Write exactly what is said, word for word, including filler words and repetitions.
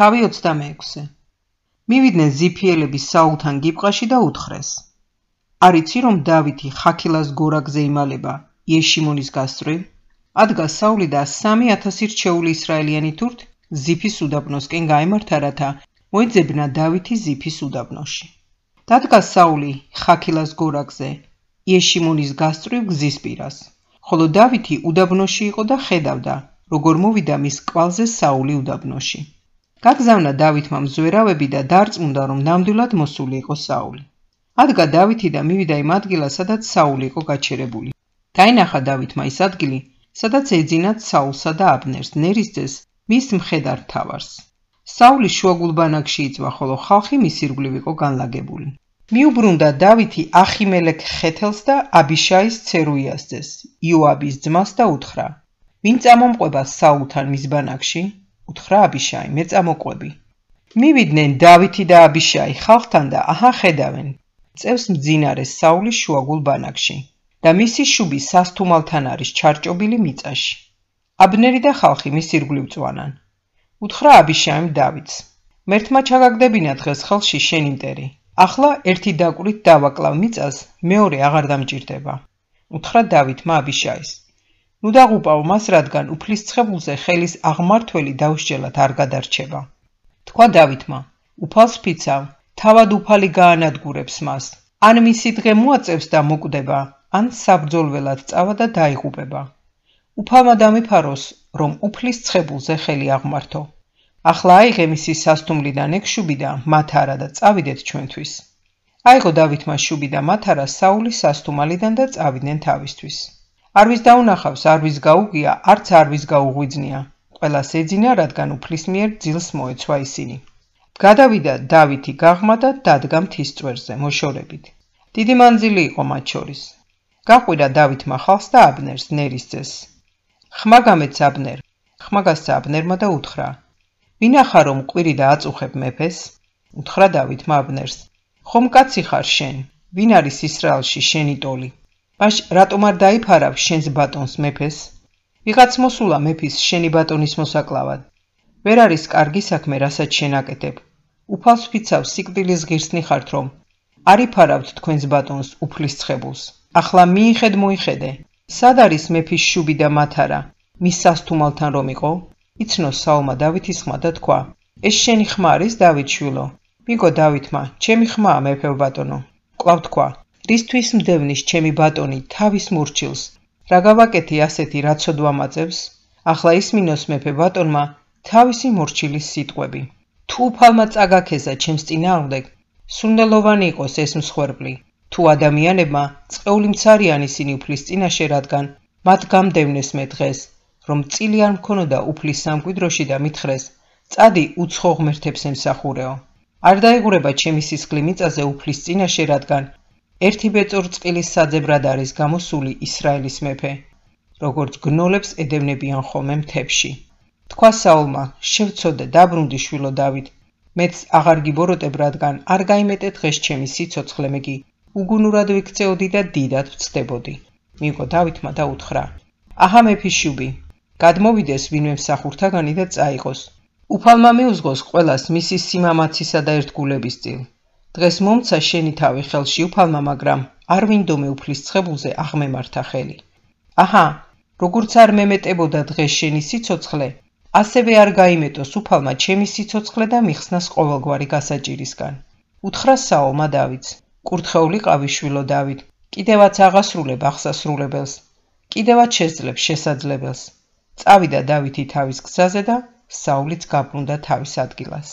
თავი ოცდამეექვსე. მივიდნენ ზიფიელები საულთან გიბყაში და უთხრეს. არ იცი რომ დავითი ხაქილას გორაგზე იმალება იეშიმონის გასწვრივ? ადგა საული და სამი ათასი რჩეული ისრაელიანი თურთ ზიფის უდაბნოსკენ გაემართა, რათა მოეძებნა დავითი ზიფის უდაბნოში. დადგა საული ხაქილას გორაგზე იეშიმონის გასწვრივ გზის პირას, ხოლო დავითი უდაბნოში იყო და ხედავდა, როგორ მოვიდა მის კვალზე საული უდაბნოში. გაგზავნა დავითმა მზვერავები და დარწმუნდა, რომ ნამდვილად მოსული იყო საული. ადგა დავითი და მივიდა იმ ადგილას, სადაც საული იყო გაჩერებული. დაინახა დავითმა ის ადგილი, სადაც ეძინათ საულსა და აბნერს, ნერის ძეს, მის მხედარ მთავარს. საული შუაგულბანაკში იწვა, ხოლო ხალხი მის ირგვლივ იყო განლაგებული. მიუბრუნდა დავითი ახიმელეკ ხეთელს და აბიშაის ცერუიას ძეს, იოაბის ძმას და უთხრა: ვინ წამომყვება საულთან მის ბანაკში? უთხრა აბიშაი: მე წამოყვები. მივიდნენ დავითი და აბიშაი ხალხთან და აჰა ხედავენ, წევს მძინარე საულის შუაგულ ბანაკში და მისი შუბი სასთუმალთან არის ჩარჭობილი მიწაში. აბნერი და ხალხი მის ირგვლივ წვანან. უთხრა აბიშაიმ დავითს: მერთმა ჩაგაგდებინა დღეს ხელში შენი მტერი. ახლა ერთი დაკვირით დავაკლავ მიწას, მეორე აღარ დამჭირდება. უთხრა დავითმა აბიშაის: ნუ დაღუპავ მას, რადგან უფლის ცხებულზე ხელის აღმართველი დაუსჯელად არ გადარჩება. თქვა დავითმა: უფალს ფიცავ, თავად უფალი გაანადგურებს მას, ან მისი დღე მოაწევს და მოკვდება, ან საბრძოლველად წავა და დაიღუპება. უფალმა დამიფაროს, რომ უფლის ცხებულზე ხელი აღმართო. ახლა აიღე მისი სასტუმლიდან ეგ შუბი და მათარა და წავიდეთ ჩვენთვის. აიღო დავითმა შუბი და მათარა საულის სასტუმალიდან და წავიდნენ თავისთვის. არვის დაუნახავს, არვის გაუღია, არც არვის გაუღვიძნია. ყველას ეძინა, რადგან უფლის მიერ ძილს მოეცვა ისინი. გადავიდა დავითი გაღმა და დადგა მთის წვერზე მოშორებით. დიდი მანძილი იყო მათ შორის. გაყვირა დავითმა ხალხს და აბნერს, ნერის ძეს. ხმა გამეც აბნერ, ხმა გასცა აბნერმა და უთხრა: ვინახარ რომ ყვირი და აწუხებ მეფეს? უთხრა დავითმა აბნერს: ხომ კაცი ხარ შენ, ვინ არის ისრაელში შენი ტოლი? მაშ რატომ არ დაიფარავ შენს ბატონს მეფეს? ვიღაც მოსულა მეფის შენი ბატონის მოსაკლავად. ვერ არის კარგი საქმე, რასაც შენ აკეთებ. უფალს ვფიცავ, სიკვდილის ღირსნი ხართ, რომ არ იფარავთ თქვენს ბატონს უფლის ცხებულს. ახლა მიიხედ მოიხედე, სად არის მეფის შუბი და მათარა, მის სასთუმალთან რომ იყო? იცნო საულმა დავითის ხმა და თქვა: ეს შენი ხმა არის, დავით შვილო? მიგო დავითმა: ჩემი ხმაა, მეფე ბატონო. კვლავ თქვა: რისთვის მდევნის ჩემი ბატონი თავის მურჩილს? რა გავაკეთე ასეთი, რაც სოდვა მაწევს? ახლა ისმინოს მეფე ბატონმა თავისი მორჩილის სიტყვები. თუ უფალმა წაგაქეზა ჩემს წინააღმდეგ, სურნელოვანი იყოს ეს მსხვერპლი. თუ ადამიანებმა წყეული მცარიან ისინი უფლის წინაშე, რადგან მათ გამდევნეს მე დღეს, რომ წილი არ მქონოდა უფლის სამკვიდროში და მითხრეს: წადი უცხო ღმერთებს ემსახურეო. არ დაიღურება ჩემი სისხლი მიწაზე უფლის წინაშე, რადგან ერთი ბეწორ წყილის საძებრად არის გამოსული ისრაელის მეფე, როგორც გნოლებს ედევნებიან ხოლმე მთებში. თქვა საულმა: შევცოდე, დაბრუნდი შვილო დავით, მეც აღარ გიბოროტებ, რადგან არ გაიმეტე დღეს ჩემი სიცოცხლე, მე კი უგუნურად ვიქცეოდი და დიდად ვწდებოდი. მიიღო დავითმა და უთხრა: აჰა მეფის შუბი, გადმოვიდეს ვინმე მსახურთაგანი და წაიღოს. უფალმა მიუძღოს ყველას მისი სიმამაცისა და ერთგულების წილ. დღეს მომცა შენი თავი ხელში უფალმა, მაგრამ არ ვინდომე უფლის ცხებულზე აღმემართა ხელი. აჰა, როგორც არ მემეტებოდა დღეს შენი სიცოცხლე, ასევე არ გაიმეტოს უფალმა ჩემი სიცოცხლე და მიხსნას ყოველგვარი გასაჭირისგან. უთხრა საულმა დავითს: კურთხეული ყავი შვილო დავით, კიდევაც აღასრულებ აღსასრულებელს, კიდევაც შეძლებ შესაძლებელს. წავიდა დავითი თავის გზაზე და საულიც გაბრუნდა თავის ადგილას.